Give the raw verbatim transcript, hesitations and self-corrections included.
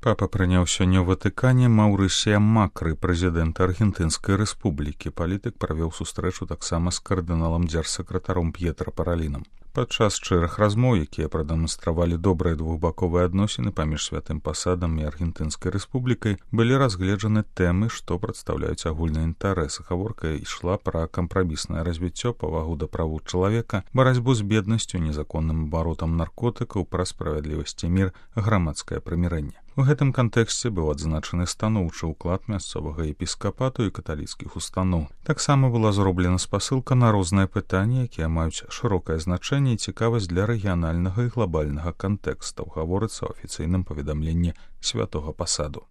Папа прыняў сёння ў Ватыкане Маўрысія Макры, прэзідэнта Аргентынскай рэспублікі. Палітык правёў сустрэчу таксама з кардыналам дзяржсакратаром П'етра Паралінам. Падчас шчырых размоў, якія прадэманстравалі добрыя двухбаковыя адносіны паміж святым пасадам і Аргентынскай рэспублікай, былі разгледжаны тэмы, што прадстаўляюць агульны інтарэс. Гаворка ішла пра кампраміснае развіццё, павагу да правоў чалавека, барацьбу з беднасцю, незаконным абаротам наркотыкаў, пра справядлівасць і мір, грамадскае прымірэнне. У гэтым кантэксце быў адзначаны станоўчы ўклад мясцовага епіскапату і каталіцкіх устаноў. Таксама была зроблена спасылка на розныя пытанні, якія маюць шырокае значэнне і цікавасць для рэгіянальнага і глабальнага кантэкстаў, гаворыцца ў афіцыйным паведамленні святога пасаду.